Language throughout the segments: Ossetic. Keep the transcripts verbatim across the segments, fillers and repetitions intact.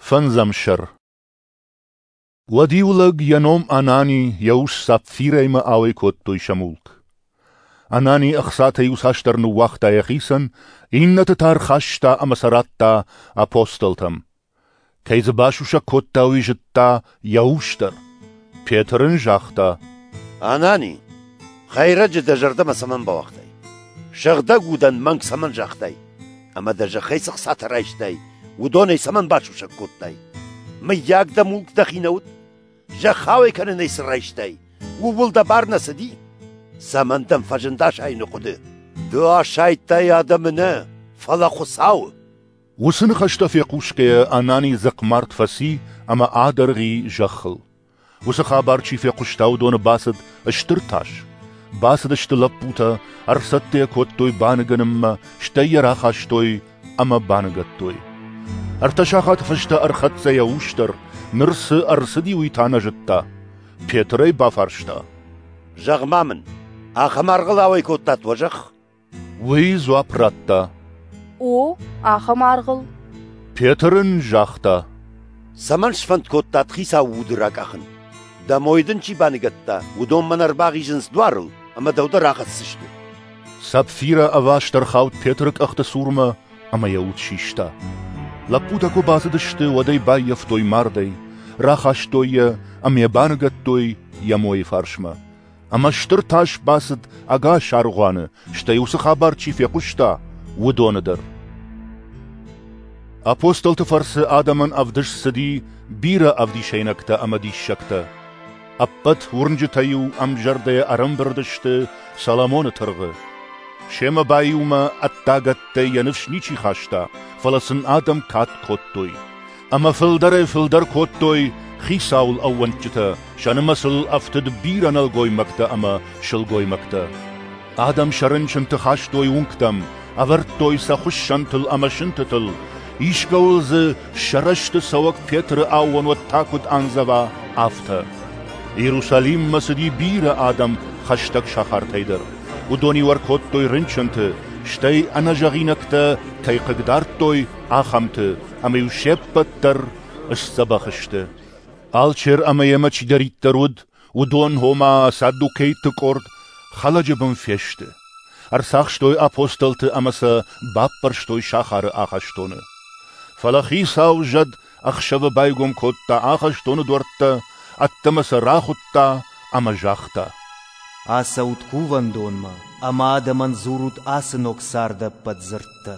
Фӕндзӕм сӕр. Уӕд иу лӕг, йӕ ном Анани, йӕ ус Сапфирӕимӕ ауӕй кодтой сӕ мулк. Анани ӕхцатӕ иуцасдӕр ныууагъта йӕхицӕн, иннӕты та ӕрхаста ӕмӕ сӕ радта апостолтӕм. Кӕй дзы басусӕг кодта, уый зыдта йӕ ус дӕр. Петр ын загъта: Анани, хӕйрӕджы дӕ зӕрдӕмӕ цӕмӕн бауагътай? Сыгъдӕг удӕн мӕнг цӕмӕн загътай? Ӕмӕ дӕ зӕххӕй цы хцатӕ райстай, уыдонӕй цӕмӕн басусӕг кодтай? Мыййаг дӕ мулк дӕхи нӕ уыд? Зӕхх ауӕй кӕнынӕй цы райстай, ууыл дӕ бар нӕ цыди? Цӕмӕн дӕм фӕзынд асайыны хъуыды? Ды асайдтай адӕмы нӕ, фӕлӕ Хуыцауы. Уыцы ныхӕстӕ фехъусгӕйӕ Анани дзыхъмард фӕци ӕмӕ адӕргъ и зӕххыл. Уыцы хабар чи фехъуыста, уыдоны бацыд стыр тас. Бацыдысты лӕппутӕ, ӕрцӕттӕ йӕ кодтой баныгӕнынмӕ, стӕй йӕ рахастой ӕмӕ баныгӕдтой. Ӕртӕ сахаты фӕстӕ ӕрхӕццӕ йӕ ус дӕр, ныр цы ӕрцыди, уый та нӕ зыдта. Петр ӕй бафарста: Зӕгъ-ма мын, ахӕм аргъыл ауӕй кодтат уӕ зӕхх? Уый дзуапп радта: О, ахӕм аргъыл. Петр ын загъта: Цӕмӕн сфӕнд кодтат хицауы уды ракъахын? Дӕ мой дын чи баныгӕдта, уыдон мӕн ӕрбахизынц дуарыл ӕмӕ дӕу дӕр ахӕсдзысты. Сапфирӕ ӕваст ӕрхауд Петры къӕхты цурмӕ ӕмӕ йӕ уд систа. Лӕппутӕ куы бацыдысты, уӕд ӕй баййӕфтой мардӕй, рахастой йӕ ӕмӕ йӕ баныгӕдтой йӕ мойы фарсмӕ. Ӕмӕ стыр тас бацыд ӕгас аргъуаны, стӕй уыцы хабар чи фехъуыста, уыдоны дӕр. Апостолты фӕрцы адӕмӕн ӕвдыст цыди бирӕ ӕвдисӕйнӕгтӕ ӕмӕ диссӕгтӕ. Ӕппӕт уырнджытӕ-иу ӕмзӕрдӕйӕ ӕрӕмбырд сты Соломоны тыргъы. Семӕ баиумӕ ӕддагӕттӕй йӕ ныфс ничи хаста, фӕлӕ сын адӕм кад кодтой. Ӕмӕ фылдӕрӕй-фылдӕр кодтой Хицауыл ӕууӕндджытӕ, сӕ нымӕцыл ӕфтыд бирӕ нӕлгоймӕгтӕ ӕмӕ сылгоймӕгтӕ. Адӕм сӕ рынчынты хастой уынгтӕм, ӕвӕрдтой сӕ хуыссӕнтыл ӕмӕ сынтытыл, искӕуыл дзы сӕ рӕзты цӕуӕг Петры аууон уӕд та куыд андзӕва, афтӕ. Иерусалиммӕ цыди бирӕ адӕм хӕстӕг сахартӕй дӕр. Уыдон-иу ӕркодтой рынчынты, стӕй ӕнӕзӕгъинӕгтӕ кӕй хъыгдардтой, ахӕмты, ӕмӕ-иу се ппӕт дӕр сдзӕбӕх сты. Алчер ӕмӕ йемӕ чидӕриддӕр уыд, уыдон, ома саддукейтты къорд, хӕлӕджы бын фесты. Ӕрцахстой апостолты ӕмӕ сӕ баппӕрстой сахары ахӕстоны. Фӕлӕ Хицауы зӕд ӕхсӕвы байгом кодта ахӕстоны дуӕрттӕ, ӕддӕмӕ сӕ рахуыдта ӕмӕ загъта: Ацӕут кувӕндонмӕ ӕмӕ адӕмӕн дзурут ацы ног царды ӕппӕт дзырдтӕ.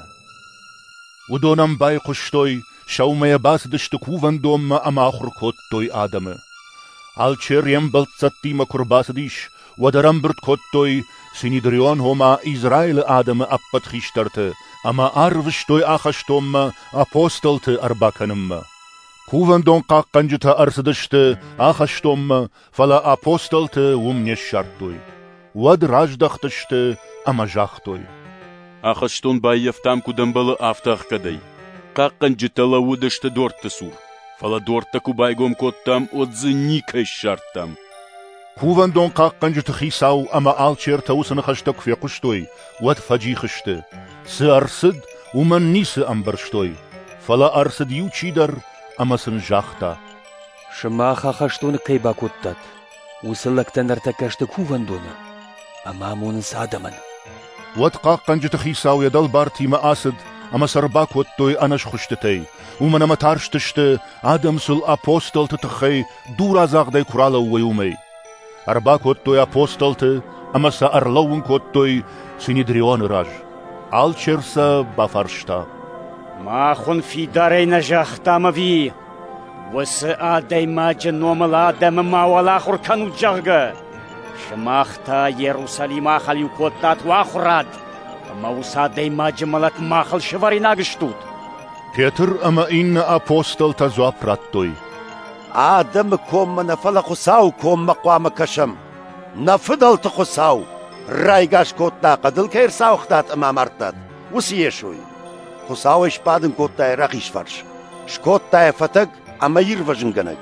Уыдон ӕм байхъуыстой, сӕумӕйӕ бацыдысты кувӕндонмӕ ӕмӕ ахуыр кодтой адӕмы. Алчер йе мбӕлццӕттимӕ куы рбацыдис, уӕд ӕрӕмбырд кодтой Синедрион, ома Израилы адӕмы ӕппӕт хистӕрты, ӕмӕ арвыстой ахӕстонмӕ апостолты ӕрбакӕнынмӕ. Кувӕндон хъахъхъӕнджытӕ ӕрцыдысты ахӕстонмӕ, фӕлӕ апостолты уым не ссардтой. Уӕд раздӕхтысты ӕмӕ загътой: Ахӕстон баййӕфтам, куыд ӕмбӕлы, афтӕ ӕхгӕдӕй. Хъахъхъӕнджытӕ лӕууыдысты дуӕртты цур, фӕлӕ дуӕрттӕ куы байгом кодтам, уӕд дзы никӕй ссардтам. Кувӕндон хъахъхъӕнджыты хицау ӕмӕ алчертӕ уыцы ныхӕстӕ куы фехъуыстой, уӕд фӕджих сты. Цы ӕрцыд, уымӕн ницы ӕмбӕрстой. Фӕлӕ ӕрцыд иу чидӕр ӕмӕ сын загъта: Сымах ахӕстоны кӕй бакодтат, уыцы лӕгтӕ ныртӕккӕ сты кувӕндоны ӕмӕ амонынц адӕмӕн. Уӕд хъахъхъӕнджыты хицау йӕ дӕлбартимӕ ацыд ӕмӕ сӕ ӕрбакодтой ӕнӕсхуыстытӕй, уымӕн ӕмӕ тарстысты, адӕм сыл апостолты тыххӕй дурадзагъдӕй куы ралӕууой, уымӕй. Ӕрбакодтой апостолты ӕмӕ сӕ ӕрлӕууын кодтой Синедрионы раз. Алчер сӕ бафарста: Мах уын фидарӕй нӕ загътам ӕви, уыцы адӕймаджы номыл адӕмы мауал ахуыр кӕнут, зӕгъгӕ? Сымах та Иерусалимы ахӕлиу кодтат уӕ ахуырад, ӕмӕ уыцы адӕймаджы мӕлӕт махыл сӕвӕринаг стут. Петр ӕмӕ иннӕ апостолтӕ дзуапп радтой: Адӕмы коммӕ нӕ, фӕлӕ Хуыцауы коммӕ хъуамӕ кӕсӕм. Нӕ фыдӕлты Хуыцау райгас кодта, хъӕдыл кӕй ӕрцауыгътат ӕмӕ амардтат, уыцы Йесойы. Хуыцау ӕй сбадын кодта йӕ рахиз фарс, скодта йӕ фӕтӕг ӕмӕ ирвӕзынгӕнӕг,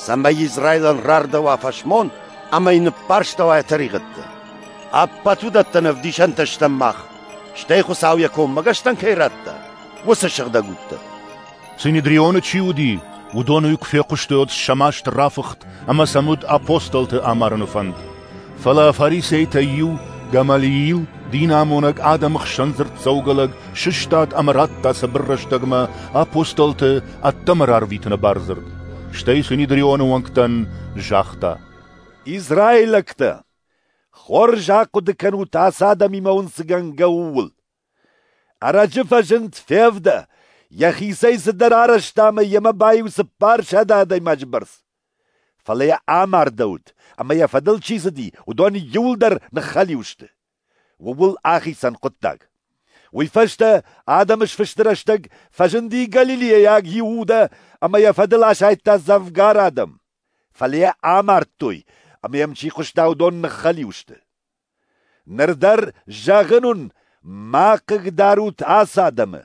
цӕмӕй Израилӕн рардӕуа фӕсмон ӕмӕ йын ныппӕрстӕуа йӕ тӕригъӕдтӕ. Ӕппӕт уыдӕттӕн ӕвдисӕнтӕ стӕм мах, стӕй Хуыцау йӕ коммӕгӕстӕн кӕй радта, уыцы сыгъдӕг удтӕ. Синедрионы чи уыди, уыдон уый куы фехъуыстой, уӕд сӕ маст рафыхт ӕмӕ сӕм уыд апостолты амарыны фӕнд. Фӕлӕ фарисейтӕй иу, Гамалиил, динамонӕг, адӕмы хсӕн дзырддзӕугӕ лӕг, сыстад ӕмӕ радта цыбыр рӕстӕгмӕ апостолты ӕддӕмӕ рарвитыны бардзырд. Стӕй Синедрионы уӕнгтӕн загъта: Израилӕгтӕ, хорз ахъуыды кӕнут, ацы адӕмимӕ уын цы гӕнгӕ, ууыл. Ӕрӕджы фӕзынд Февдӕ, йӕхицӕй цыдӕр арӕзта ӕмӕ йемӕ баиу цыппарсӕдӕ адӕймаджы бӕрц. Фӕлӕ йӕ амардӕуыд, ӕмӕ йӕ фӕдыл чи цыди, уыдон иууылдӕр ныххӕлиу сты. Ууыл ахицӕн хъуыддаг. Уый фӕстӕ адӕмы сфысты рӕстӕг фӕзынди галилейаг Иудӕ ӕмӕ йӕ фӕдыл асайдта дзӕвгар адӕм. Фӕлӕ йӕ амардтой, ӕмӕ йӕм чи хъуыста, уыдон ныххӕлиу сты. Ныр дӕр зӕгъын уын, ма хъыгдарут ацы адӕмы.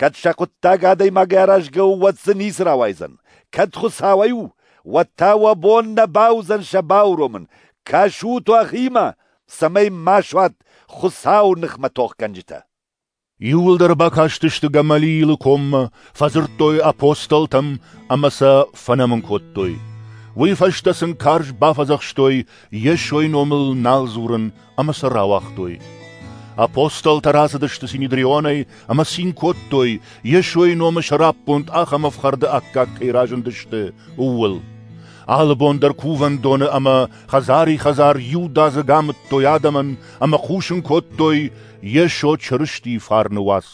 Кӕд сӕ хъуыддаг адӕймагӕй аразгӕ у, уӕд дзы ницы рауайдзӕн. Кӕд Хуыцауӕй у, уӕд та уӕ бон нӕ бауыдзӕн сӕ бауромын. Кӕсут уӕхимӕ, цӕмӕй ма суат Хуыцауы ныхмӕ тохгӕнджытӕ. Иууылдӕр бакастысты Гамалиилы коммӕ, фӕдзырдтой апостолтӕм ӕмӕ сӕ фӕнӕмын кодтой. Уый фӕстӕ сын карз бафӕдзӕхстой Йесойы номыл нал дзурын ӕмӕ сӕ рауагътой. Апостолтӕ рацыдысты Синедрионӕй ӕмӕ цин кодтой, Йесойы номы сӕраппонд ахӕм ӕфхӕрды аккаг кӕй разындысты, ууыл. Алы бон дӕр кувӕндоны ӕмӕ хӕдзари-хӕдзар иудадзыг амыдтой адӕмӕн ӕмӕ хъусын кодтой Йесо Чырыстийы фарны уац.